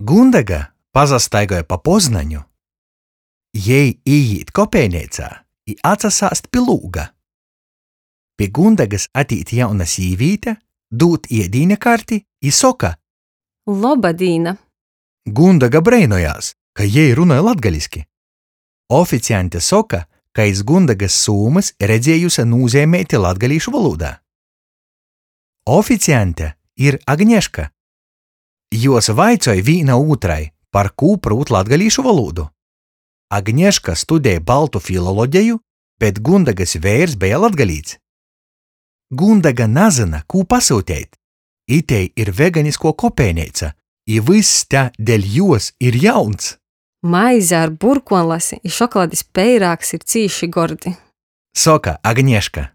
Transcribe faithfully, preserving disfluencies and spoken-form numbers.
Gundega pasastaigoj pa Poznaņu. Jei īīt kopejneicā i atsasāst pi lūga. Pi Gundegys atīt jauna sīvīte, dūd iedīņa karti i soka: Loba dīna! Gundega breinojās, ka jei runoj latgaliski. Oficiaņte soka, ka iz Gundegys sūmys redziejuse nūzeimeiti latgalīšu volūdā. Oficiaņte ir Agneška. Juos vaicoj vīna ūtrai, parkū prūt latgalīšu volūdu. Agneška studej baltu filologeju, bet Gundegys veirs beja latgalīts. Gundega nazyna, kū pasyuteit. Itei ir veganiskuo kopejneica, i vyss te deļ juos ir jauns. Maize ar burkuonlasi i šokoladis peirāgs ir cīši gordi. Soka Agneška.